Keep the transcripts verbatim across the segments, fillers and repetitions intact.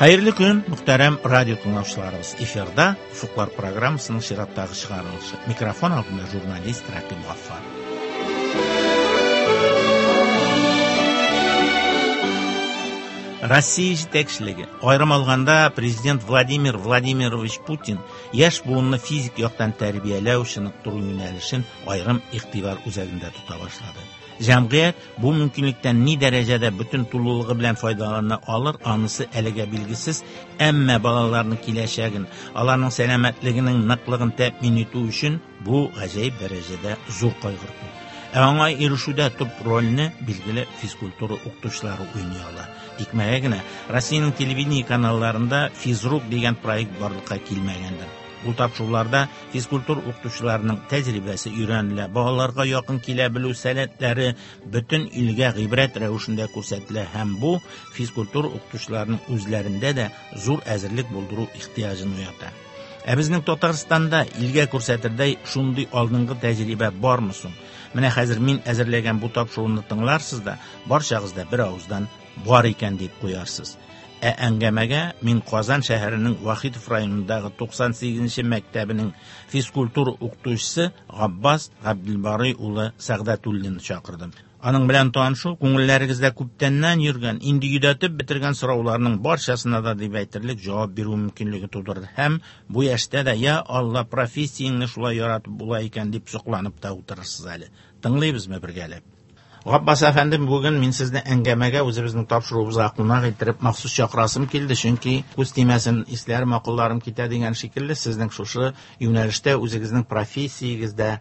Хәерле көн, мөхтәрәм радио тыңлаучыларыбыз. Эфирда Уфыклар программасының чираттагы чыгарылышы. Микрофон алдында журналист Рәкыйп Гаффар. Россия җитәкчелеге, аерым алганда президент Владимир Владимирович Путин яшь буынны физик яктан тәрбияләү, чыныктыру юнәлешен аерым игътибар үзәгендә тота башлады. Җәмгыять бу мөмкинлектән ни дәрәҗәдә бөтен тулылыгы белән файдалана алыр, анысы әлегә билгесез, әмма балаларның киләчәген, аларның сәламәтлегенең ныклыгын тәэмин итү өчен бу гаҗәеп дәрәҗәдә зур кайгырту. Ә аңа ирешүдә төп рольне билгеле физкультура укытучылары уйный ала. Тикмәгә генә Россиянең телевидение каналларында «Физрук» дигән проект барлыкка килмәгәндер. Ул тапшыруларда физкультура укытучыларының тәҗрибәсе өйрәнелә, балаларга якын килә белү сәләтләре бөтен илгә гыйбрәт рәвешендә күрсәтелә һәм бу физкультура укытучыларының үзләрендә дә зур әзерлек булдыру ихтыяҗын уята. Ә безнең Татарстанда илгә күрсәтердәй шундый алдынгы тәҗрибә бармы соң? Менә хәзер мин әзерләгән бу тапшыруны тыңларсыз да, барчагыз да бер авыздан бар икән дип куярсыз. Ә әңгәмәгә мин Казан шәһәренең Вахитов районындагы туксан сигезенче мәктәбенең физкультура укытучысы Габбас Габделбарый улы Сәгъдәтуллинны чакырдым. Аның белән танышу күңелләрегездә күптәннән йөргән, инде йөдәтеп бетергән сорауларның барчасына да дип әйтерлек җавап бирү мөмкинлеге тудырды. Һәм бу яшьтә дә я Алла, профессияңне шулай яратып була икән дип сокланып та утырырсыз әле. Тыңлыйбызмы бергәләп? Габбас әфәндем, бүген мин сезне әңгәмәгә үзебезнең тапшыруыбызга кунак иттереп махсус чакырасым килде, чөнки күз тимәсен, исләрем, акылларым китә дигән шикелле, сезнең шушы юнәлештә үзегезнең профессиягездә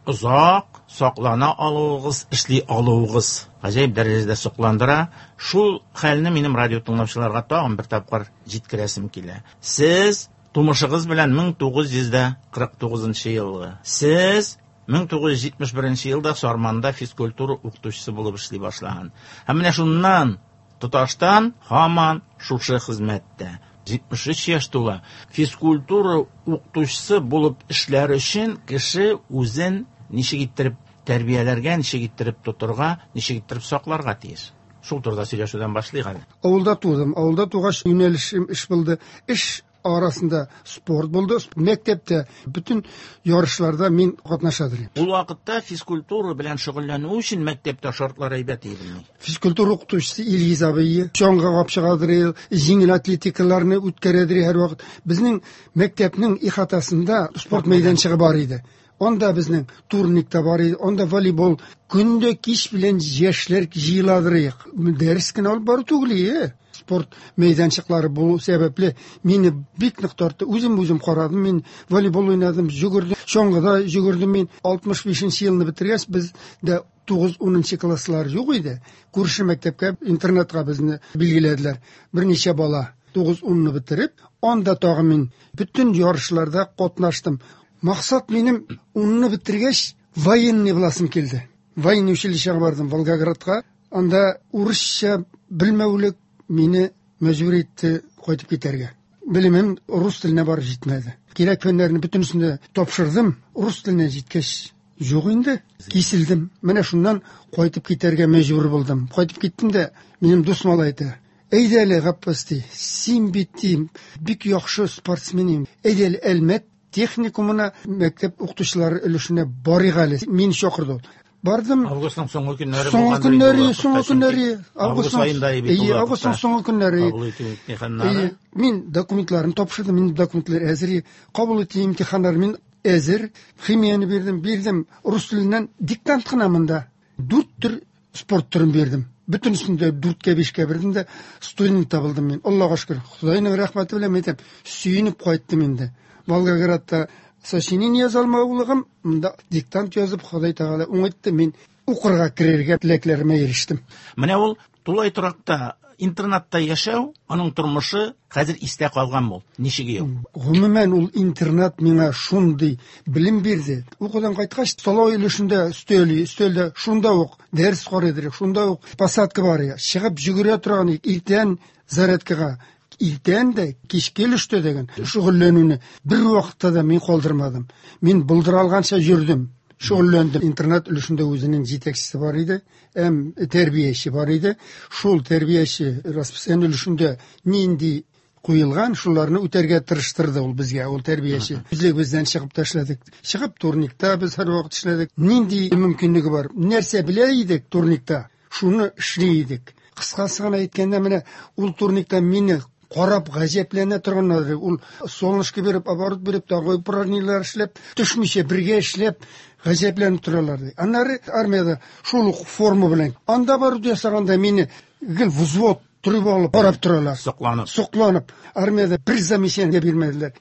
озак саклана алуыгыз, эшли алуыгыз гаҗәеп дәрәҗәдә сокландыра. Шул хәлне минем радио тыңлаучыларга тагын бер тапкыр җиткерәсем килә. Сез тумышыгыз белән мең тугыз йөз дә кырык тугызынчы елгы. Сез мең тугыз йөз җитмеш беренче елда Сарманда физкультура укытучысы булып эшли башлаган. Һәм менә шуннан тоташтан һаман шушы хезмәттә. Җитмеш өч яшь тула. Физкультура укытучысы булып эшләр өчен кеше үзен ничек иттереп тәрбияләргә, ничек иттереп тотырга, ничек иттереп сакларга тиеш. Шул турыда сөйләшүдән башлыйк әле. Авылда тудым. Авылда тугач юнәлешем эш булды. Эш арасында спорт булды. Мәктәптә бөтен ярышларда мин катнаша идем. Ул вакытта физкультура белән шөгыльләнү өчен мәктәптә шартлар әйбәт идеме? Физкультура укытучысы Илгиз абый чаңга кап чыгадыр, җиңел атлетикаларны үткәрәдер һәрвакыт. Безнең мәктәпнең ихатасында спорт мәйданчыгы бар иде. Анда безнең турник та бар иде, анда волейбол. Көндә кич белән яшьләр җыеладыр. Дәрес кенә алып бару түгел иде. Спорт мәйданчыклары булу сәбәпле мине бик нык тартты. Үзем үзем карадым, мин волейбол уйнадым, йөгердем, чаңгыда йөгердем мин. Алтмыш бишенче елны бетергәч, бездә тугыз унынчы класслар юк иде. Күрше мәктәпкә, интернатка безне билгеләделәр. Берничә бала тугыз унны бетереп, анда тагы мин бөтен ярышларда катнаштым. Максат минем унны бетергәч военный буласым килде. Военный училищега бардым Волгоградка. Анда урысча белмәүлек мине мәҗбүр итте кайтып китәргә. Белемем рус теленә барып җитмәде. Кирәк фәннәрне бөтенесен дә тапшырдым. Рус теленә җиткәч юк инде, киселдем. Менә шуннан кайтып китәргә мәҗбүр булдым. Кайтып киттем дә, минем дус малай әйтә: Әйдә әле, Габбас, ди, син бит, ди, бик яхшы спортсмен идең. Әйдә әле Әлмәт техникумына мәктәп укытучылары өлешенә барыйк әле. Мине чакырды ул. Бардым. Августның соңгы көннәре Соңгы булган көннәре, бит ул соңгы вакытта, көннәре, чөнки август августның аенда бит ул Әйе, вакытта. августның соңгы көннәре. Кабул итү имтиханнары. Әйе, мин документларны тапшырдым, минем документлар әзер. Кабул итү имтиханнары мин әзер. Химияне бирдем, бирдем. Рус теленнән диктант кына монда. Дүрт төр спорт төрен бирдем. Бөтенесен дә дүрткә, бишкә бирдем дә студент табылдым мин. Аллага шөкер, Худайның рәхмәте белән әйтәм, сөенеп кайттым инде. Волгоградта сочинение яза алмаулыгым, монда диктант язып, Ходай Тәгалә уңайтты, мин укырга керергә теләкләремә ирештем. Менә ул тулай торакта, интернатта яшәү, аның тормышы хәзер истә калган бул. Ничек юк? Гомумән ул интернат миңа шундый белем бирде. Укудан кайткач, столовой өлешендә өстәл, өстәлдә шунда ук дәрес карыйдыр, шунда ук посадка бар. Чыгып йөгерә торган иртән зарядкага, иртән дә кичке өлештә дигән шөгыльләнүне бер вакытта да мин калдырмадым. Мин булдыра алганча йөрдем, шөгыльләндем. Интернат өлешендә үзенең җитәкчесе бар иде, һәм тәрбияче бар иде. Шул тәрбияче расписание өлешендә нинди куелган, шуларны үтәргә тырыштырды ул безгә, ул тәрбияче. Үзлегебездән чыгып ташлядык. Чыгып турникта без һәрвакыт эшләдек. Нинди мөмкинлеге бар? Нәрсә белә идек турникта? Шуны эшли идек. Кыскасы гына әйткәндә, менә ул турникта мине карап гаҗәпләнә торганнар. Ул солнышко биреп, оборот биреп, тагы упражнениеләр эшләп, төшмичә бергә эшләп гаҗәпләнеп торалар ди. Аннары армиядә шул ук форма белән. Анда барып ясаганда мине гел взвод торып алып карап торалар. Сокланып. Сокланып. Армиядә бер замечание бирмәделәр.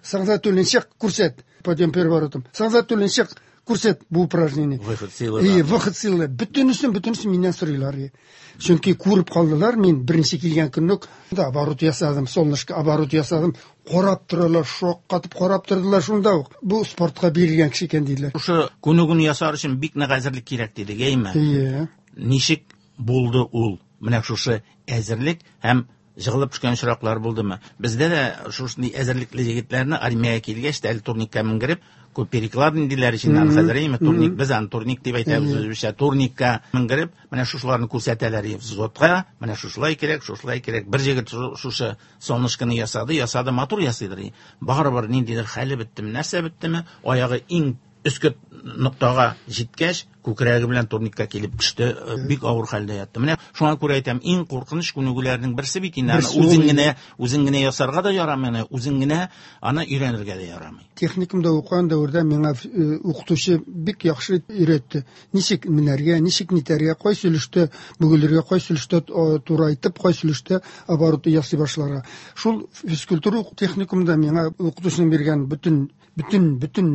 Сагъдәтуллин чык, күрсәт. Подъем переворотом. Сагъдәтуллин чык, күрсәт бу упражнение. Выход силы. И, выход силы. Бөтенесен, бөтенесен миннән сорыйлар. Чөнки күреп калдылар, мин беренче килгән көнне үк оборот ясадым, солнышко оборот ясадым. Карап торалар, шаккатып карап тордылар шунда ук. Бу спортка бирелгән кеше икән диделәр. Шушы күнегүне ясар өчен бик нык әзерлек кирәк дидек, әйме? Ие. Ничек булды ул? Менә шушы әзерлек һәм жығылып төшкән очраклар булдымы? Бездә дә шушындый әзерлекле егетләрне армиягә килгәч тә әле турникка менгереп, күп перекладин диләр иченнән аны хәзер, әйме? Турник, без аны турник дип әйтәбез үзебезчә. Турникка менгереп, менә шушыларны күрсәтәләр взводка, менә шушылай кирәк, шушылай кирәк. Бер егет шушы солнышканы ясады, ясады, матур ясыйдыр. Барыбер ниндидер хәле беттеме, нәрсә беттеме, аягы иң өске ноктага җиткәч, күкрәге белән турникка килеп төште, бик авыр хәлдә ятты. Менә шуңа күрә әйтәм, иң куркыныч күнегүләрнең берсе бит инде аны үзең генә, үзең генә ясарга да ярамый, аны үзең генә аны өйрәнергә дә ярамый. Техникумда укыган дәвердә миңа укытучы бик яхшы өйрәтте. Ничек менәргә, ничек нитәргә, кайсы өлештә бөгелергә, кайсы өлештә турайтып, кайсы өлештә оборот ясый башларга. Шул физкультура техникумда миңа укытучының биргән бөтен, бөтен, бөтен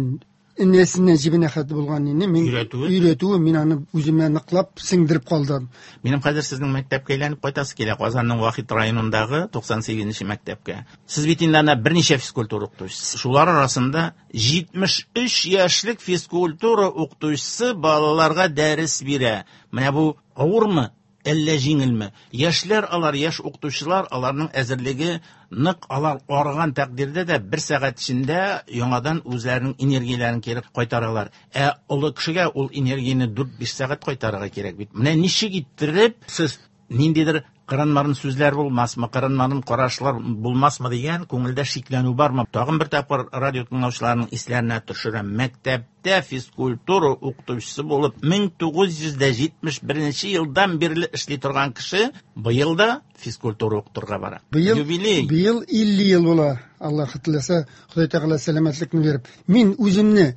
энәсеннән җебенә хәтле булган инде мин өйрәтүе, өйрәтүе мин аны үземә ныклап сеңдереп калдым. Минем хәзер сезнең мәктәпкә әйләнеп кайтасы килә, Казанның Вахит районындагы туксан сигезенче мәктәпкә. Сез бит инде анда берничә физкультура укытучысы. Шулар арасында җитмеш өч яшьлек физкультура укытучысы балаларга дәрес бирә. Менә бу авырмы? Әллә җиңелме? Яшьләр алар, яшь укытучылар, аларның әзерлеге нык, алар арыган тәкъдирдә дә бер сәгать эчендә яңадан үзләренең энергияләрен кире кайтаралар. Ә олы кешегә ул энергияне дүрт-биш сәгать кайтарырга кирәк бит. Менә ничек иттереп сез ниндидер кырынмарын сүзләр булмасмы, кырынмарын карашлар булмасмы дигән күңелдә шикләнү бармы? Тагын бер тапкыр радио тыңлаучыларның исләренә төшерәм. Мәктәптә физкультура укытучысы булып мең тугыз йөз дә җитмеш беренче елдан бирле эшли торган кеше быел да физкультура укытырга бара. Быел, юбилей. Быел илле ел була. Аллаһ теләсә, Ходай Тәгалә сәламәтлекне биреп. Мин үземне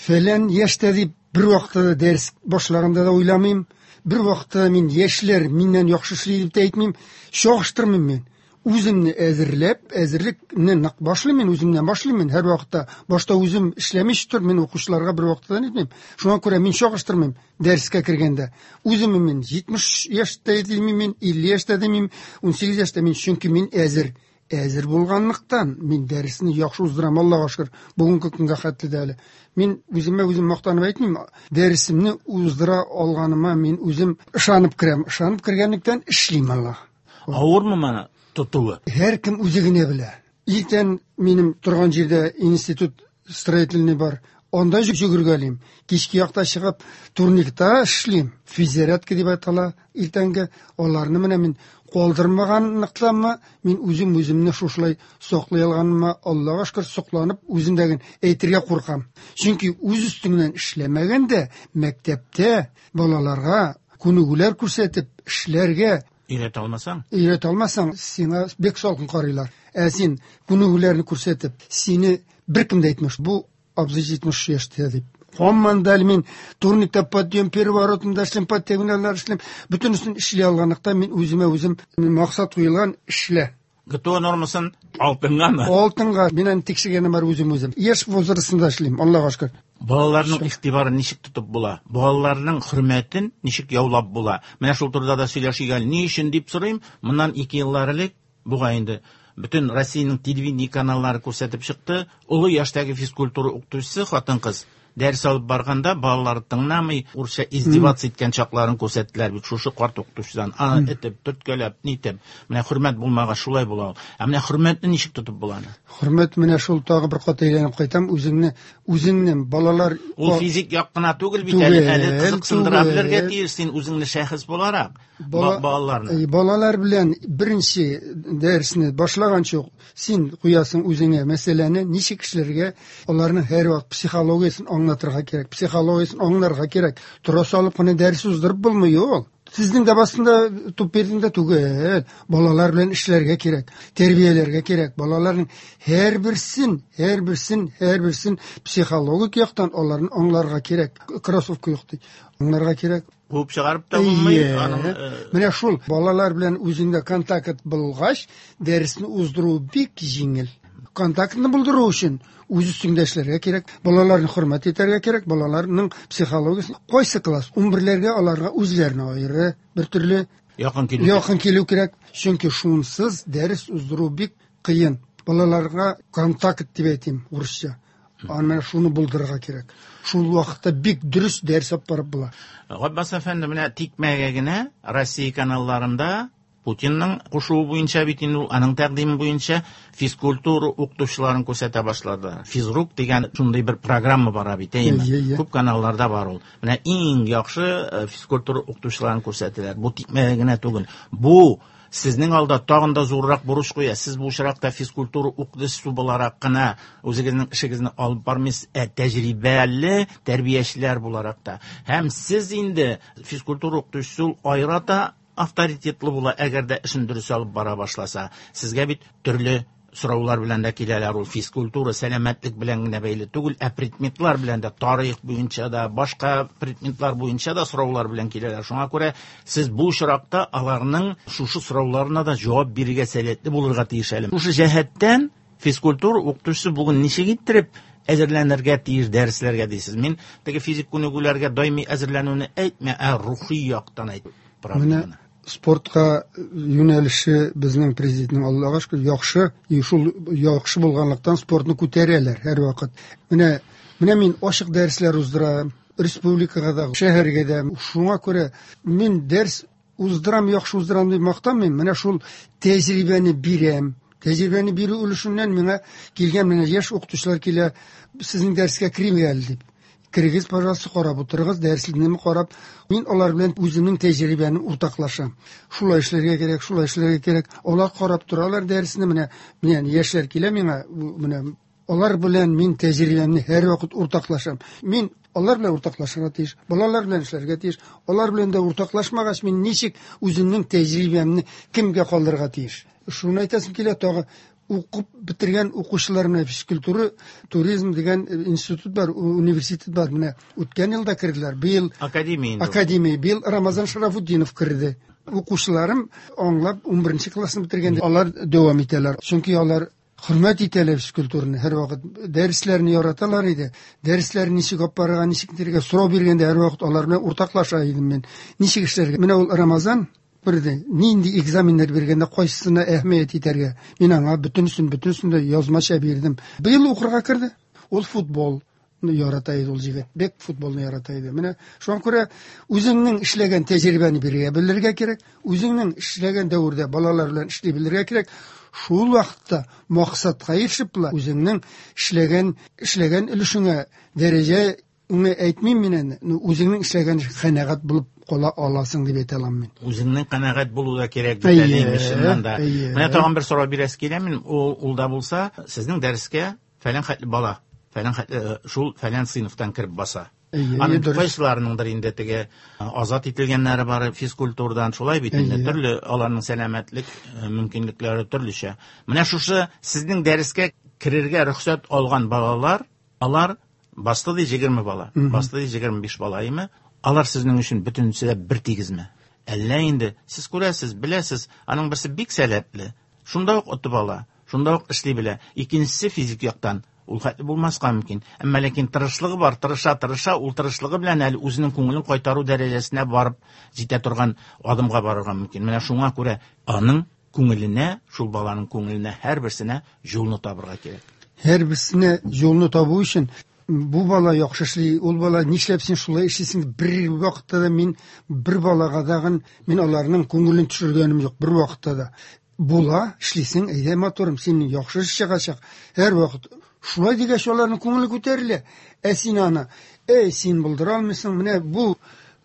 фәлән яшьтә дип бер вакытта да дәрес башлаганда да уйламыйм. Бер вакытта мин яшьләр миннән яхшы эшли дип тә әйтмим, чагыштырмыйм мин. Үземне әзерләп, әзерлекне нык башлыйм мин, үземнән башлыйм мин. Һәр вакытта башта үзем эшләмичә тор, мин укучыларга бер вакытта да әйтмим. Шуңа күрә мин чагыштырмыйм дәрескә кергәндә. Үземне мин җитмеш яшьтә димим мин, илле яшьтә димим, унсигез яшьтә мин, чөнки мин әзер. Әзер булганлыктан мин дәресне яхшы уздырам, Аллага шөкер, бүгенге көнгә хәтле дә әле. Мин үземә үзем мактанып әйтмим, дәресемне уздыра алганыма мин үзем ышанып керәм. Ышанып кергәнлектән эшлим, Аллаһ. Авырмы моны тотуы? Һәркем үзе генә белә. Иртән минем торган җирдә институт строительный бар. Анда йөгергәлим. Кичке якта чыгып турникта эшлим. Физзарядка дип атала иртәнге. Аларны менә мин калдырмаганлыктанмы, мин үзем үземне шушылай саклый алганыма Аллага шөкер сокланып, үземдәген әйтергә куркам. Чөнки үз өстеңнән эшләмәгәндә мәктәптә балаларга күнегүләр күрсәтеп эшләргә өйрәтә алмасаң, өйрәтә алмасаң, сиңа бик салкын карыйлар. Ә син күнегүләрне күрсәтеп, сине беркем дә әйтмеш, бу абзый җитмеш яшьтә дип. Һаман да әле мин турникта подъем, переворотында эшлим, подтягиваниеләр эшлим. Бөтенесен эшли алганлыктан мин үземә үзем максат куелган эшлә. ГТО нормасын алтынгамы? Алтынга. Мин аны тикшергәнем бар үзем үзем. Яшь возрастында эшлим, Аллага шөкер. Балаларның игътибарын ничек тотып була? Балаларның хөрмәтен ничек яулап була? Менә шул турыда да сөйләшик әле. Ни өчен дип сорыйм? Моннан ике еллар элек бугай инде бөтен Россиянең телевидение каналлары күрсәтеп чыкты. Олы яшьтәге физкультура укытучысы хатын-кыз дәрес алып барганда балалар тыңламый, урысча издеваться иткән чакларын күрсәттеләр бит шушы карт укытучыдан. Аны этеп, төрткәләп, нитеп. Менә хөрмәт булмагач шулай була ул. Ә менә хөрмәтне ничек тотып була аны? Хөрмәт менә шул тагы бер кат әйләнеп кайтам, үзеңне, үзеңне балалар Ул физик як кына түгел бит әле, әле кызыксындыра белергә тиеш син үзеңне шәхес буларак. Балаларны. Балалар белән беренче дәресне башлаганчы ук син куясың үзеңә мәсьәләне, ничек эшләргә, аларның һәрвакыт психологиясен аңлатырга кирәк, психологиясен аңларга кирәк. Тора салып кына дәрес уздырып булмый ул. Сезнең дә басында туп бирдең дә түгел. Балалар белән эшләргә кирәк, тәрбияләргә кирәк. Балаларның һәрберсен, һәрберсен, һәрберсен психологик яктан аларны аңларга кирәк. Кроссовка юк ди. Аңларга кирәк. Куып чыгарып та булмый. Аның менә шул балалар белән үзеңдә контакт булгач, дәресне уздыру бик җиңел. Контактны булдыру өчен үз өстеңдә эшләргә кирәк, балаларны хөрмәт итәргә кирәк, балаларның психологиясын кайсы класс, унберләргә аларга үзләренә аеры бер төрле якын килү, якын килү кирәк. Чөнки шунсыз дәрес уздыру бик кыен. Балаларга контакт дип әйтим урысча. Аны шуны булдырырга кирәк. Шул вакытта бик дөрес дәрес алып барып була. Габбас әфәнде, менә тикмәгә генә Россия каналларында Путинның кушуы буенча бит инде ул, аның тәкъдиме буенча физкультура укытучыларын күрсәтә башлады. Физрук дигән шундый бер программа бара бит, әйеме? Күп каналларда бар ул. Менә иң яхшы физкультура укытучыларын күрсәтәләр. Бу тикмәгә генә түгел. Бу сезнең алда тагын да зуррак бурыч куя. Сез бу очракта физкультура укытучысы буларак кына үзегезнең эшегезне алып бармыйсыз, ә тәҗрибәле тәрбиячеләр буларак та. Һәм сез инде физкультура укытучысы ул аерата авторитетлы була, әгәр дә эшен дөрес алып бара башласа. Сезгә бит төрле сораулар белән дә киләләр. Ул физкультура, сәламәтлек белән генә бәйле түгел, ә предметлар белән дә, тарих буенча да, башка предметлар буенча да сораулар белән киләләр. Шуңа күрә сез бу очракта аларның шушы сорауларына да җавап бирергә сәләтле булырга тиеш әле. Шушы җәһәттән физкультура укытучысы бүген ничек иттереп әзерләнергә тиеш дәресләргә дисез? Мин теге физик күнегүләргә даими әзерләнүне әйтмә, ә рухи яктан әйт. Менә спортка юнәлеше безнең президентның, Аллага шөкер, яхшы, и шул яхшы булганлыктан спортны күтәрәләр һәрвакыт. Менә, менә мин ачык дәресләр уздырам, республикага да, шәһәргә дә. Шуңа күрә мин дәрес уздырам, яхшы уздырам дип мактанмыйм. Менә шул тәҗрибәне бирәм. Тәҗрибәне бирү өлешеннән миңа килгән менә яшь укытучылар килә, сезнең дәрескә керим әле дип. Керегез, пожалуйста, карап утырыгыз, дәреслекне карап. Мин алар белән үземнең тәҗрибәне уртаклашам. Шулай эшләргә кирәк, шулай эшләргә кирәк. Алар карап торалар дәресне, менә, менә яшьләр килә миңа, менә алар белән мин тәҗрибәмне һәрвакыт уртаклашам. Мин алар белән уртаклашырга тиеш, балалар белән эшләргә тиеш. Алар белән дә уртаклашмагач, мин ничек үземнең тәҗрибәмне кемгә калдырырга тиеш? Шуны әйтәсем килә, тагы укып бетергән укучылар менә физкультура, туризм дигән институт бар, университет бар. Менә үткән елда керделәр. Быел академия инде. Академия. Быел Рамазан Шарафутдинов керде. Укучыларым аңлап унберенче классны бетергәндә алар дәвам итәләр. Чөнки алар хөрмәт итәләр физкультураны, һәрвакыт дәресләрне яраталар иде. Дәресләрне ничек алып барырга, ничек итәргә сорау биргәндә һәрвакыт алар белән уртаклаша идем мин. Ничек эшләргә? Менә ул Рамазан бирде. Нинди экзаменнар биргәндә кайсысына әһәмият итәргә? Мин аңа бөтенесен, бөтенесен дә язмача бирдем. Быел укырга керде. Ул футбол ярата иде ул егет. Бик футболны ярата иде. Менә шуңа күрә үзеңнең эшләгән тәҗрибәне бирергә белергә кирәк. Үзеңнең эшләгән дәвердә балалар белән эшли белергә кирәк. Шул вакытта максатка ирешеп була. Үзеңнең эшләгән, эшләгән өлешеңә дәрәҗә уны әйтмим мин инде. Үзеңнең эшләгән канәгать булып кала аласың дип әйтә алам мин. Үзеңнең канәгать булу да кирәк бит әле, Әйе, чыннан да. әйе. Менә тагын бер сорау бирәсе килә мин. Ул, ул да булса, сезнең дәрескә фәлән хәтле бала, фәлән хәтле, шул фәлән сыйныфтан кереп баса. Әйе, Аның дөрес. кайсыларыныңдыр инде теге азат ителгәннәре бар физкультурадан, шулай бит инде, Әйе. төрле аларның сәламәтлек, э, мөмкинлекләре төрлечә. Менә шушы сезнең дәрескә керергә рөхсәт алган балалар, алар басты ди егерме бала, Мгм. басты ди егерме биш бала име? Алар сезнең өчен бөтенесе дә бер тигезме? Әллә инде сез күрәсез, беләсез, аның берсе бик сәләтле, шунда ук отып ала, шунда ук эшли белә. Икенчесе физик яктан ул хәтле булмаска мөмкин. Әмма ләкин тырышлыгы бар, тырыша, тырыша, ул тырышлыгы белән әле үзенең күңелен кайтару дәрәҗәсенә барып җитә торган адымга барырга мөмкин. Менә шуңа күрә аның күңеленә, шул баланың күңеленә һәрберсенә юлны табырга кирәк. Һәрберсенә юлны табу өчен Бу бала яхшы эшли, ул бала нишләп син шулай эшлисең? Бер вакытта да мин бер балага дагын мин аларның күңелен төшергәнем юк, бер вакытта да. Була, эшлисең, әйдә матурым, син яхшы эш чыгачак. Һәр вакыт шулай дигәч аларның күңеле күтәрелә. Ә син аны, эй, син булдыра алмыйсың, менә бу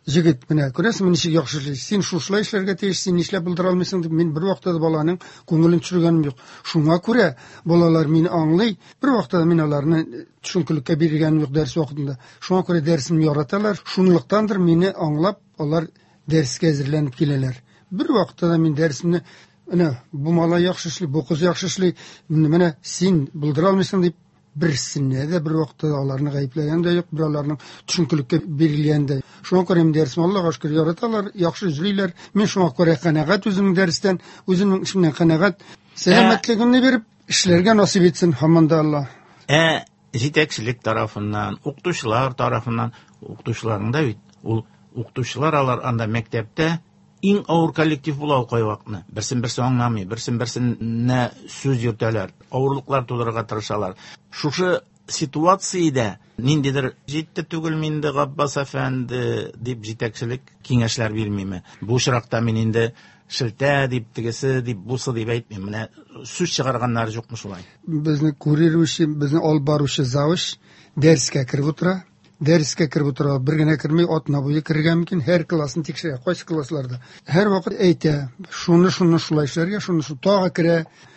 җегет, менә күрәсеңме ничек яхшы эшли, син шушылай эшләргә тиеш, син нишләп булдыра алмыйсың дип мин бер вакытта да баланың күңелен төшергәнем юк. Шуңа күрә балалар мине аңлый, бер вакытта да мин аларны төшенкелеккә биргәнем юк дәрес вакытында. Шуңа күрә дәресемне яраталар, шунлыктандыр мине аңлап алар дәрескә әзерләнеп киләләр. Бер вакытта да мин дәресемне менә бу малай яхшы эшли, бу кыз яхшы эшли, менә син булдыра алмыйсың дип берсенә дә бер вакытта да аларны гаепләгән дә юк, бер аларның төшенкелеккә бирелгән дә. Шуңа күрә мин дәресне Аллага шөкер яраталар, яхшы эшлиләр. Мин шуңа күрә канәгать үземнең дәрестән, үземнең эшемнән канәгать. Сәламәтлегемне биреп эшләргә насыйп итсен һаман да Алла. Ә җитәкчелек тарафыннан, укытучылар тарафыннан, укытучыларның да бит ул укытучылар алар анда мәктәптә иң авыр коллектив була ул кайвакытны. Берсен берсе аңламый, берсен берсенә сүз йөртәләр, авырлыклар тудырырга тырышалар. Шушы ситуациядә ниндидер җитте түгел инде Габбас әфәнде дип җитәкчелек киңәшләр бирмиме? Бу очракта мин инде шелтә дип, тегесе дип, бусы дип әйтмим. Менә сүз чыгарганнар юкмы шулай? Безне курирующий, безне алып баручы завуч дәрескә кереп утыра. Дәрескә кереп утыра, бер генә керми, атна буе керергә мөмкин, һәр классны тикшерә, кайсы классларда. Һәр вакыт әйтә, шуны, шуны шулай эшләргә, шуны, шуны тагы керә.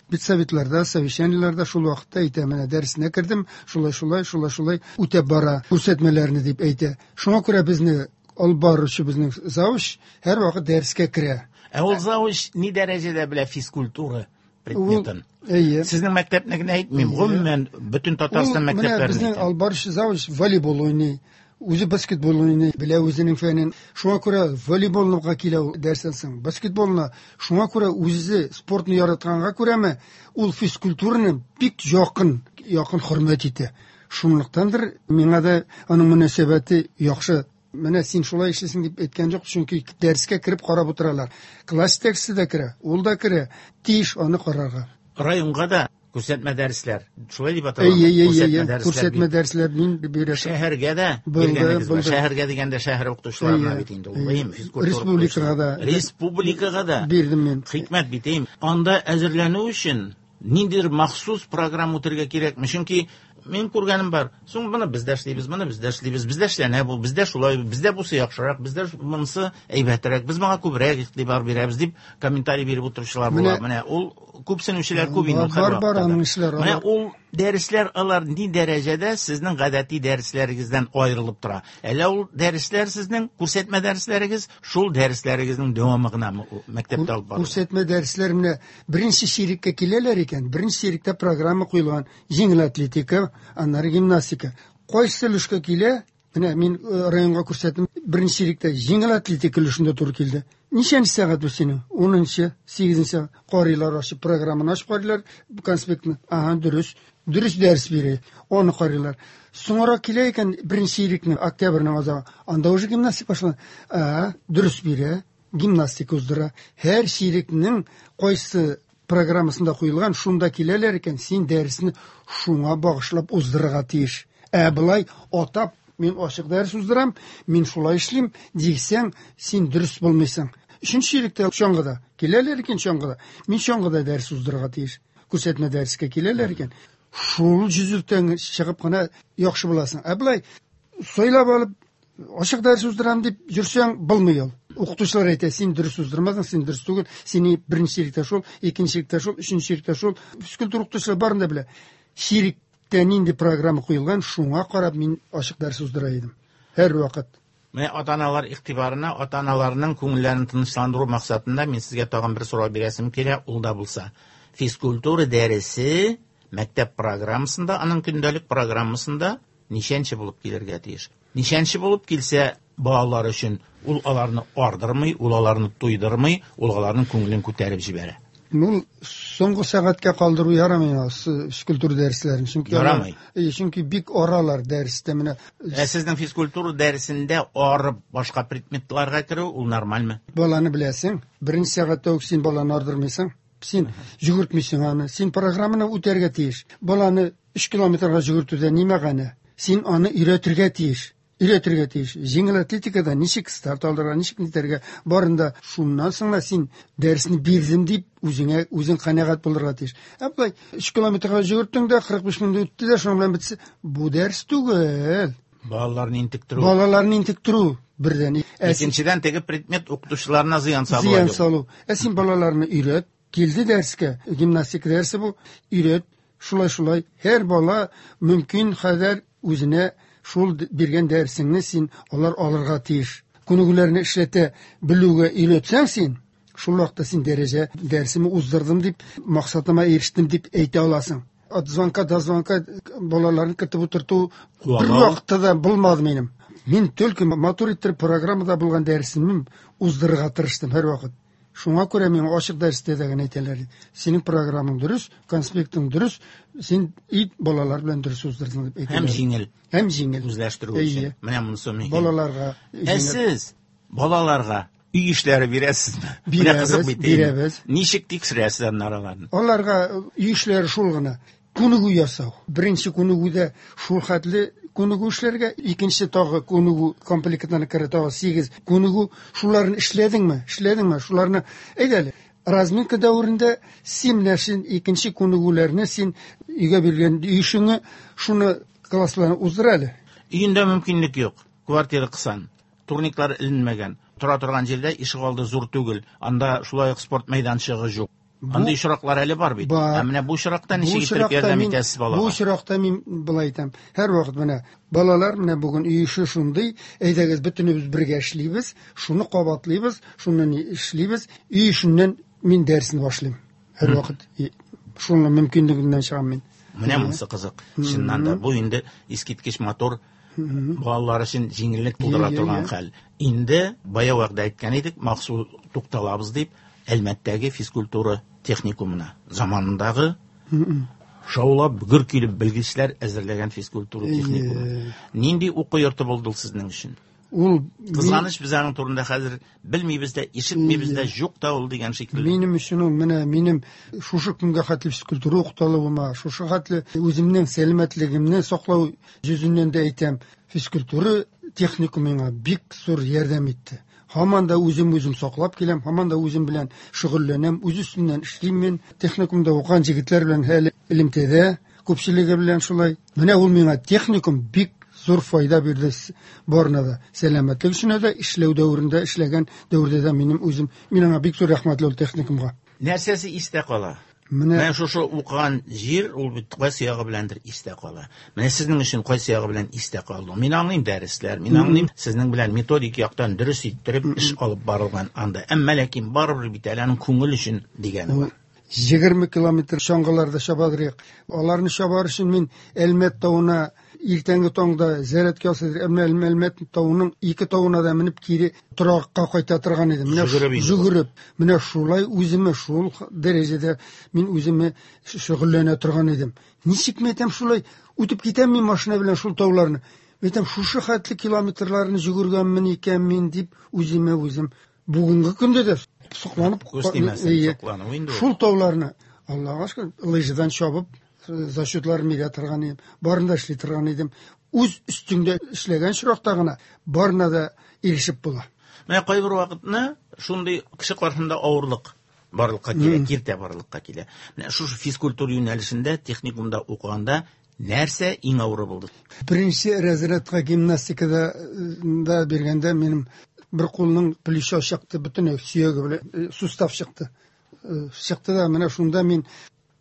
Педсоветларда, совещаниеләрдә шул вакытта әйтә, менә дәресенә кердем, шулай, шулай, шулай, шулай үтәп бара күрсәтмәләрне дип әйтә. Шуңа күрә безне алып баручы безнең завуч һәр вакыт дәрескә керә. Ә ул завуч ни дәрәҗәдә белә физкультура предметын? Әйе. Сезнең мәктәпне генә әйтмим, гомумән бөтен Татарстан Ул, менә мәктәпләрен безнең әйтәм. алып баручы завуч волейбол уйный, үзе баскетбол уйный, белә үзенең фәнен. Шуңа күрә волейболга килә ул дәрестән соң, баскетболны. Шуңа күрә үзе спортны яратканга күрәме, ул физкультураны бик якын, якын хөрмәт итә. Шунлыктандыр миңа да аның мөнәсәбәте яхшы. Менә син шулай эшлисең дип әйткән юк, чөнки дәрескә кереп карап утыралар. Класс җитәкчесе дә керә, ул да керә, тиеш аны карарга. Районга да күрсәтмә дәресләр, шулай дип атала. Әйе, әйе, Күрсәтмә әйе, дәресләр күрсәтмә бит. дәресләр мин бирәм. Шәһәргә дә Булды, биргәнегез бар. булды. Шәһәргә дигәндә шәһәр укытучыларына Әйе, бит инде ул, әйе. әйеме, физкультура Республикага да. укытучылары. Республикага да. Бирдем мин. Хикмәт бит, әйеме. Анда әзерләнү өчен ниндидер махсус программа үтәргә кирәкме? Чөнки мин күргәнем бар. Соң моны без дә эшлибез, моны без дә эшлибез, бездә эшләнә бу, бездә шулай, бездә бусы яхшырак, бездә монысы әйбәтрәк, без моңа күбрәк игътибар бирәбез дип комментарий биреп утыручылар була. Менә Менә ул күпсенүчеләр күп инде Бар, ул һәр бар, бар вакытта да. аның эшләре, Менә алар. ул дәресләр алар ни дәрәҗәдә сезнең гадәти дәресләрегездән аерылып тора? Әллә ул дәресләр сезнең күрсәтмә дәресләрегез, шул дәресләрегезнең дәвамы гынамы ул мәктәптә алып барыла? Күрсәтмә дәресләр менә беренче чиреккә киләләр икән, беренче чиректә программа куелган, җиңел атлетика, аннары гимнастика. Кайсы өлешкә килә? Менә мин, э, районга күрсәттем, беренче чиректә җиңел атлетика өлешендә туры килде. Ничәнче сәгать бу синең? Унынчы, сигезенче сәгать. Карыйлар, ачып программаны ачып карыйлар, конспектны. Ага, дөрес. Дөрес дәрес бирә. Аны карыйлар. Соңрак килә икән беренче чирекне, октябрьнең азагы. Анда уже гимнастика башлана. Ага, дөрес бирә, гимнастика уздыра. Һәр чирекнең кайсы программасында куелган, шунда киләләр икән, син дәресне шуңа багышлап уздырырга тиеш. Ә былай атап, мин ачык дәрес уздырам, мин шулай эшлим, дисәң, син дөрес булмыйсың. Өченче чиректә чаңгыда киләләр икән, чаңгыда. Мин чаңгыда дәрес уздырырга тиеш. Күрсәтмә дәрескә киләләр икән. Шул жүзлектән чыгып кына яхшы буласың. Ә былай сайлап алып ачык дәрес уздырам дип йөрсәң, булмый ул. Укытучылар әйтә, син дөрес уздырмадың, син дөрес түгел, сине беренче чиректә шул, икенче чиректә шул, өченче чиректә шул. Физкультура укытучылар барын да белә. Чиректә нинди программа куелган, шуңа карап мин ачык дәрес уздыра идем. Һәр вакыт. Менә ата-аналар игътибарына, ата-аналарның күңелләрен тынычландыру максатында мин сезгә тагын бер сорау бирәсем килә, ул да булса. Физкультура дәресе мәктәп программасында, аның көндәлек программасында ничәнче булып килергә тиеш? Ничәнче булып килсә, балалар өчен ул аларны ардырмый, ул аларны туйдырмый, ул аларның күңелен күтәреп җибәрә. Ул соңгы сәгатькә калдыру ярамый физкультура дәресләрен, чөнки Ярамый. алар, э, чөнки бик аралар дәрестә менә. Ә сезнең физкультура дәресендә арып башка предметларга керү ул нормальме? Баланы беләсең, беренче сәгатьтә үк син баланы ардырмыйсың, син йөгертмисең аны, син программаны үтәргә тиеш. Баланы өч километрга йөгертүдә ни мәгънә? Син аны өйрәтергә тиеш. Өйрәтергә тиеш. Җиңел атлетикада ничек старт алырга, ничек нитәргә, барында шуннан соң да син дәресне бирдем дип үзеңә үзең канәгать булырга тиеш. Ә болай өч километрга йөгерттең дә кырык биш минут үтте дә шуның белән бетсе, бу дәрес түгел. Балаларны интектерү. Балаларны интектерү бердән. Икенчедән, теге предмет укытучыларына зыян салу. Зыян салу. Ә син балаларны өйрәт, килде дәрескә, гимнастика дәресе бу, өйрәт, шулай-шулай. Һәр бала мөмкин кадәр үзенә шул биргән дәресеңне син алар алырга тиеш. Күнегүләрне эшләтә белүгә өйрәтсәң син, шул вакытта син дәрәҗә дәресемне уздырдым дип, максатыма ирештем дип әйтә аласың. От звонка до звонка балаларны кертеп утырту бер вакытта да булмады минем. Мин только матур иттереп программада булган дәресемне уздырырга тырыштым һәр вакыт. Шуңа күрә миңа ачык дәрестә дә генә әйтәләр. Синең программаң дөрес, конспектың дөрес, син ит балалар белән дөрес уздырдың дип әйтәләр. Һәм җиңел. Һәм җиңел. Үзләштерү өчен. Менә монысы мөһим. Балаларга. Ә сез балаларга өй эшләре бирәсезме? Бирәбез, бирәбез. Ничек тикшерәсез аннары аларны? Аларга өй эшләре шул гына. Күнегү ясау. Беренче күнегүдә шул хәтле күнегү эшләргә, икенче тагы күнегү комплектына керә тагы сигез күнегү. Шуларны эшләдеңме? Эшләдеңме? Шуларны әйдә әле. Разминка дәверендә син менә син икенче күнегүләрне син өйгә биргән өй эшеңне шуны классларны уздыр әле. Өендә мөмкинлек юк. Квартира кысан, турниклар эленмәгән. Тора торган җирдә ишегалды зур түгел. Анда шулай ук спорт мәйданчыгы юк. Андый очраклар әле бар бит. Ә менә бу очракта ничек итеп ярдәм итәсез балага? Бу очракта мин болай әйтәм. Һәр вакыт менә балалар менә бүген өй эше шундый, әйдәгез бөтенебез бергә эшлибез, шуны кабатлыйбыз, шуны ни эшлибез. Өй эшеннән мин дәресне башлыйм. Һәр вакыт шуның мөмкинлегеннән чыгам мин. Менә монысы кызык. Чыннан да бу инде искиткеч матур балалар өчен җиңеллек тудыра торган хәл. Инде бая вакытта әйткән идек, махсус тукталабыз дип, Әлмәттәге физкультура техникумына заманындагы шаулап гөр килеп белгечләр әзерләгән физкультура техникумы. Нинди уку йорты булды ул сезнең өчен? Ул кызганыч, без аның турында хәзер белмибез дә, ишетмибез дә, юк та ул дигән шикелле. Минем өчен ул менә минем шушы көнгә хәтле физкультура укыталуыма, шушы хәтле үземнең сәламәтлегемне саклау йөзеннән дә әйтәм, физкультура техникумы миңа бик зур ярдәм итте. Һаман да үзем үзем саклап киләм, һаман да үзем белән шөгыльләнәм, үз өстемнән эшлим мин. Техникумда укыган җегетләр белән әле элемтәдә, күпчелеге белән шулай. Менә ул миңа техникум бик зур файда бирде барына да. Сәламәтлек өчен дә, эшләү дәверендә, эшләгән дәвердә дә минем үзем, мин аңа бик зур рәхмәтле ул техникумга. Нәрсәсе истә кала? Менә Менә шушы укыган җир, ул бит кайсы ягы беләндер истә кала. Менә сезнең өчен кайсы ягы белән истә калды? Мин аңлыйм дәресләр, мин аңлыйм сезнең белән методик яктан дөрес иттереп эш алып барылган анда. Әмма ләкин барыбер бит әле аның күңел өчен дигәне бар. Егерме километр чаңгыларда чабадырык. Аларны чабар өчен мин Әлмәт тавына иртәнге таңда зәрәткә ясадыр. Әмма Әлмәт тавының ике тавына да менеп кире торакка кайта торган идем. Менә Жүгереп. Менә шулай үземә шул дәрәҗәдә мин үземә шөгыльләнә торган идем. Ничек мен әйтәм, шулай үтеп китәм мин машина белән шул тауларны. Мен әйтәм, шушы хәтле километрларны жүгергәнмен икән мин дип үземә үзем бүгенге көндә дә сокланып Күз тимәсен, соклану инде ул. Шул тауларны Аллага шөкер, лыжадан чабып, зачетлар бирә торган идем, барында эшли торган идем. Үз өстеңдә эшләгән очракта гына барына да ирешеп була. Менә кайбер вакытны шундый кеше каршында авырлык барлыкка килә, киртә барлыкка килә. Менә шушы физкультура юнәлешендә техникумда укыганда нәрсә иң авыры булды? Беренче разрядка гимнастикада да биргәндә минем бер кулның плечо чыкты, бөтен сөяге белән сустав чыкты. Чыкты да менә шунда мин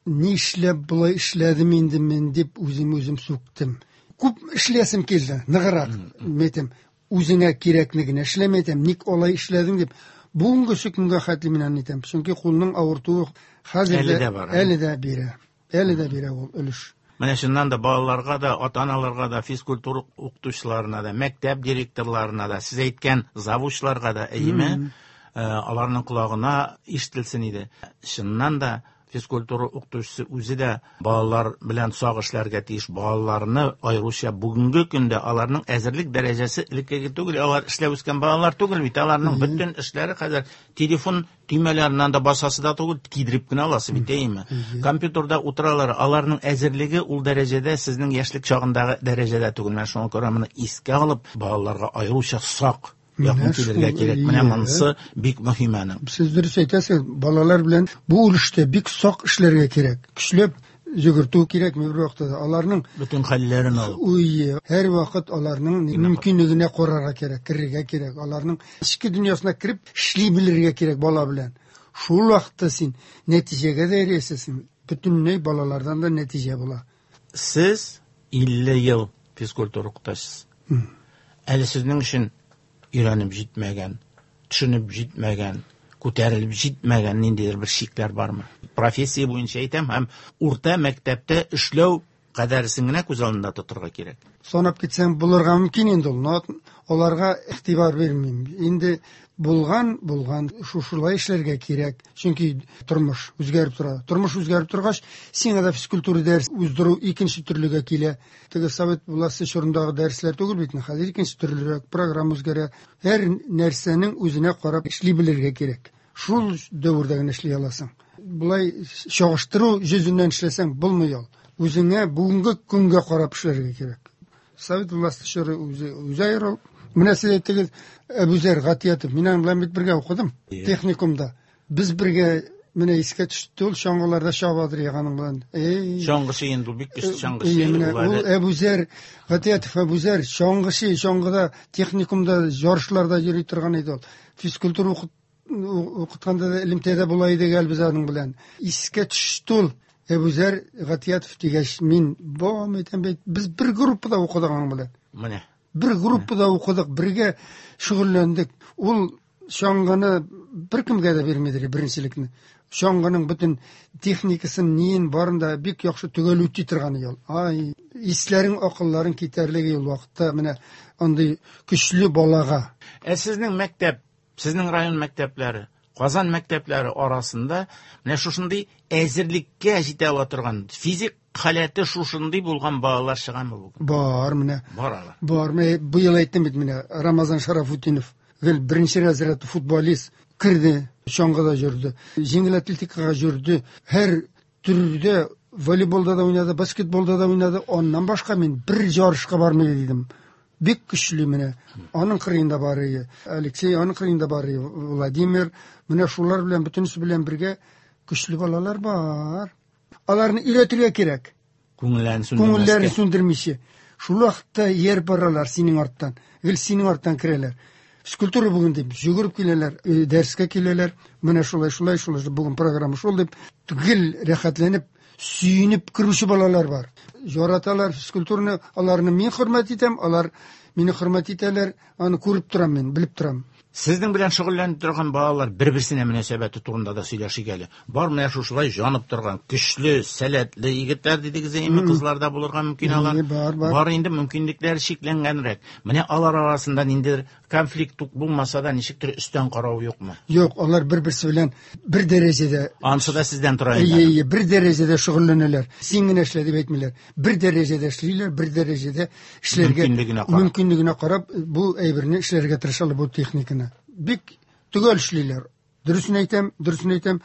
ни эшләп болай эшләдем инде мин дип үзем үзем сүктем. Күп эшләсем килде, ныграк. Әйтәм, үзеңә кирәкне генә эшләмә, әйтәм, ник алай эшләдең дип. Бүгенге көнгә хәтле мин аны әйтәм. Чөнки кулның авыртуы хәзер әле дә бар. Әле дә бирә. Әле дә бирә ул өлеш. Менә чыннан да балаларга да, ата-аналарга да, физкультура укытучыларына да, мәктәп директорларына да, сез әйткән завучларга да, әйеме, аларның колагына ишетелсен иде. Чыннан да Физкультура укытучысы үзе дә балалар белән сак эшләргә тиеш. Балаларны аеруча бүгенге көндә аларның әзерлек дәрәҗәсе элеккеге түгел, алар эшләп үскән балалар түгел бит. Аларның бөтен эшләре хәзер телефон төймәләреннән дә басасы да түгел, кидереп кенә аласы бит, әйеме? Компьютерда утыралар. Аларның әзерлеге ул дәрәҗәдә сезнең яшьлек чагындагы дәрәҗәдә түгел. Менә шуңа күрә моны искә алып, балаларга аеруча сак якын килергә кирәк. Менә монысы бик мөһим аның. Сез дөрес әйтәсез, балалар белән бу өлештә бик сак эшләргә кирәк. Көчләп йөгертү кирәкми бер вакытта да. Аларның бөтен хәлләрен алып. Уй, һәр вакыт аларның мөмкинлегенә карарга кирәк, керергә кирәк. Аларның эчке дөньясына кереп эшли белергә кирәк бала белән. Шул вакытта син нәтиҗәгә дә ирешәсең. Бөтенләй балалардан да нәтиҗә була. Сез илле ел физкультура укытасыз. Әле сезнең өчен өйрәнеп җитмәгән, төшенеп җитмәгән, күтәрелеп җитмәгән ниндидер бер шикләр бармы? Профессия буенча әйтәм, һәм урта мәктәптә эшләү кадәресен генә күз алдында тотырга кирәк. Санап китсәң булырга мөмкин инде ул. Но аларга игътибар бирмим. Инде булган, булган, шушылай эшләргә кирәк. Чөнки тормыш үзгәреп тора. Тормыш үзгәреп торгач, сиңа да физкультура дәрес уздыру икенче төрлегә килә. Теге совет власте чорындагы дәресләр түгел бит, хәзер икенче төрлерәк, программа үзгәрә. Һәр нәрсәнең үзенә карап эшли белергә кирәк. Шул дәвердә генә эшли аласың. Болай чагыштыру йөзеннән эшләсәң булмый ул. Үзеңә бүгенге көнгә карап эшләргә кирәк. Совет власте чоры үзе үзе аерыл. Менә сез әйттегез, Әбүзәр Гатиятов, мин аның белән бит бергә укыдым техникумда. Без бергә менә искә төште ул чаңгыларда чабадыр яганың белән. Эй, чаңгычы инде ул бик көчле чаңгычы. Менә ул Әбүзәр Гатиятов, Әбүзәр чаңгычы, чаңгыда техникумда ярышларда йөри торган иде ул. Физкультура укытканда да элемтәдә була иде гел без аның белән. Искә төште ул Әбүзәр Гатиятов дигәч, мин бам әйтәм бит, без бер группада укыдык аның белән. Менә бер группада укыдык, бергә шөгыльләндек. Ул чаңгыны беркемгә дә бирмиде беренчелекне. Чаңгының бөтен техникасын, ниен барын да бик яхшы төгәл үти торган ул. Ай, исләрең, акылларың китәрлеге ул вакытта менә андый көчле балага. Ә сезнең мәктәп, сезнең район мәктәпләре, Казан мәктәпләре арасында менә шушындый әзерлеккә җитә ала торган физик халәте шушындый булган балалар чыгамы бүген? Бар менә. Бар алар. Бар. Менә бу ел әйттем бит менә Рамазан Шарафутдинов гел беренче разряд футболист керде, чаңгыда йөрде, җиңел атлетикага йөрде, һәр төрдә волейболда да уйнады, баскетболда да уйнады. Аннан башка мин бер ярышка бармый дидем. Бик көчле менә. Аның кырыенда бар иде Алексей, аның кырыенда бар иде Владимир. Менә шулар белән бөтенесе белән бергә көчле балалар бар. Аларны өйрәтергә кирәк. Күңелләрен сүндермәскә. Күңелләрен сүндермичә. Шул вакытта ияреп баралар синең арттан. Гел синең арттан керәләр. Физкультура бүген дип йөгереп киләләр, дәрескә киләләр. Менә шулай, шулай, шулай бүген программа шул дип гел рәхәтләнеп, сөенеп керүче балалар бар. Яраталар физкультураны, аларны мин хөрмәт итәм, алар мине хөрмәт итәләр, аны күреп торам мин, белеп торам. Сезнең белән шөгыльләнеп торган балалар бер-берсенә мөнәсәбәте турында да сөйләшик әле. Бар менә шушылай җанып торган, көчле, сәләтле егетләр дидегез, әйме, кызлар да булырга мөмкин алар. Бар, бар. Бар инде мөмкинлекләре чикләнгәнрәк. Менә алар арасында ниндидер конфликт булмаса да, ничектер өстән карау юкмы? Юк, алар бер-берсе белән бер дәрәҗәдә. Ансы да сездән тора инде. Әйе, бер дәрәҗәдә шөгыльләнәләр. Син генә эшлә дип әйтмиләр. Бер дәрәҗәдә эшлиләр, бер дәрәҗәдә эшләргә мөмкинлегенә карап. Мөмкинлегенә карап бу әйберне эшләргә тырышалар, бу техниканы. Бик төгәл эшлиләр. Дөресен әйтәм, дөресен әйтәм,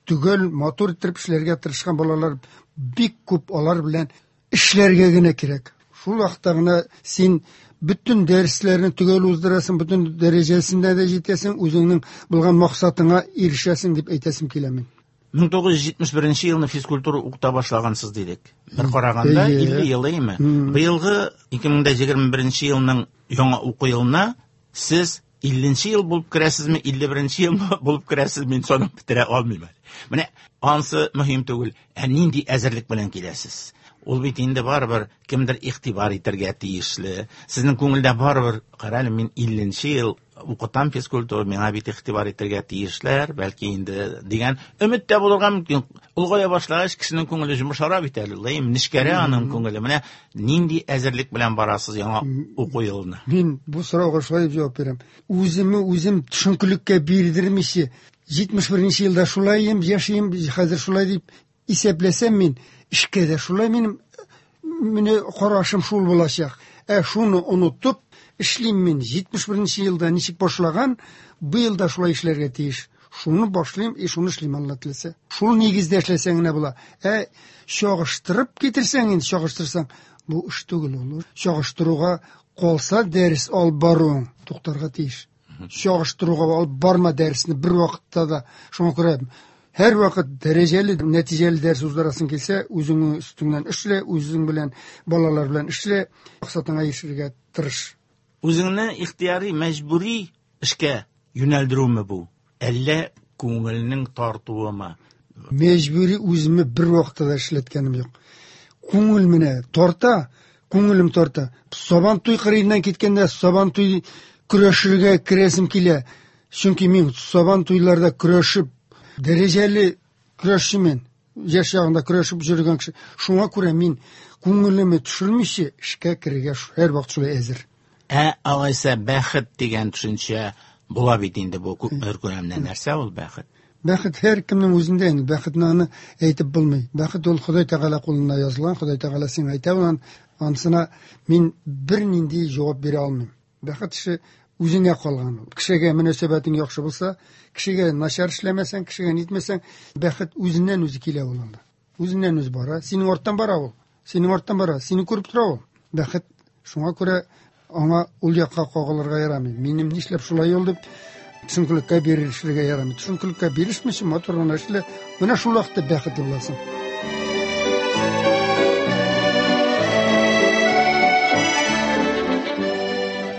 төгәл, матур итеп эшләргә тырышкан балалар бик күп, алар белән эшләргә генә кирәк. Шул вакытта гына син бөтен дәресләрне төгәл уздырасың, бөтен дәрәҗәсендә дә җитәсең, үзеңнең булган максатыңа ирешәсең дип әйтәсем килә мин. мең тугыз йөз җитмеш беренче елны физкультура укыта башлагансыз дидек. Бер караганда илле ел әйме? Быелгы ике мең егерме беренче елның яңа уку елына сез илленче ел булып керәсезме, илле беренче ел булып керәсез, мин санап бетерә алмыйм әле. Менә ансы мөһим түгел. Ә нинди әзерлек белән киләсез? Ул бит инде барыбер кемдер игътибар итәргә тиешле. Сезнең күңелдә барыбер, кара әле, мин илленче ел укытам физкультура, миңа бит игътибар итәргә тиешләр, бәлки инде дигән өмет тә булырга мөмкин. Олыгая башлагач кешенең күңеле йомшара бит әле, ләйм нечкәрә аның күңеле. Менә нинди әзерлек белән барасыз яңа уку елына? Мин бу сорауга шулай дип җавап бирәм. Үземне үзем төшенкелеккә бирдермичә, җитмеш беренче елда шулай яшим, хәзер шулай дип исәпләсәм мин, эшкә дә шулай минем менә карашым шул булачак. Ә шуны онытып эшлим мин. җитмеш беренче елда ничек башлаган, бу елда шулай эшләргә тиеш. Шуны башлыйм, и шуны эшлим, Алла теләсә. Шул нигездә эшләсәң генә була. Ә чагыштырып китерсәң инде, чагыштырсаң, бу эш түгел ул. Чагыштыруга калса дәрес алып баруың туктарга тиеш. Чагыштыруга алып барма дәресне бер вакытта да. Шуңа күрә һәр вакыт дәрәҗәле, нәтиҗәле дәрес уздырасың килсә, үзеңнең өстеңнән эшлә, үзең белән, балалар белән эшлә, максатыңа ирешергә тырыш. Үзеңне ихтияри, мәҗбүри эшкә юнәлдерүме бу? Әллә күңелнең тартуымы? Мәҗбүри үземне бер вакытта да эшләткәнем юк. Күңел менә тарта, күңелем тарта. Сабантуй кырыеннан киткәндә Сабантуй көрәшергә керәсем килә. Чөнки мин Сабантуйларда көрәшеп, дәрәҗәле көрәшчемен. Яшь чагында көрәшеп йөргән кеше. Шуңа күрә мин күңелемне төшермичә эшкә керергә һәр вакыт шулай әзер. Ә алайса бәхет дигән төшенчә була бит инде бу күпмедер күләмдә. Нәрсә ул бәхет? Бәхет һәр кемнең үзендә инде. Бәхетне аны әйтеп булмый. Бәхет ул Ходай Тәгалә кулында язылган. Ходай Тәгалә сиңа әйтә ул, ансына мин бернинди җавап бирә алмыйм. Бәхет эше үзеңә калган ул. Кешегә мөнәсәбәтең яхшы булса, кешегә начар эшләмәсәң, кешегә нитмәсәң, бәхет үзеннән үзе килә ул анда. Үзеннән үзе бара. Синең арттан бара ул. Синең арттан бара. Сине күреп тора ул. Бәхет шуңа күрә аңа ул якка кагылырга ярамый. Минем нишләп шулай ул дип төшенкелеккә бирешергә ярамый. Төшенкелеккә бирешмичә матур гына эшлә. Менә шул вакытта бәхетле буласың.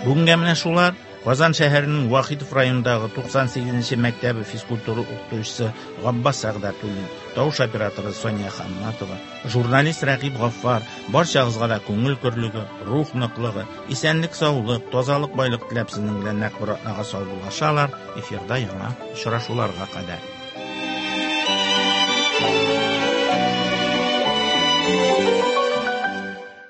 Бүгенгә менә шулар. Казан шәһәренең Вахитов районындагы туксан сигезенче мәктәбе физкультура укытучысы Габбас Сәгъдәтуллин, тавыш операторы Соня Хамматова, журналист Рәкыйп Гаффар, барчагызга да күңел көрлеге, рух ныклыгы, исәнлек, саулык, тазалык, байлык теләп сезнең белән нәкъ бер атнага саубуллашалар. Эфирда яңа очрашуларга кадәр.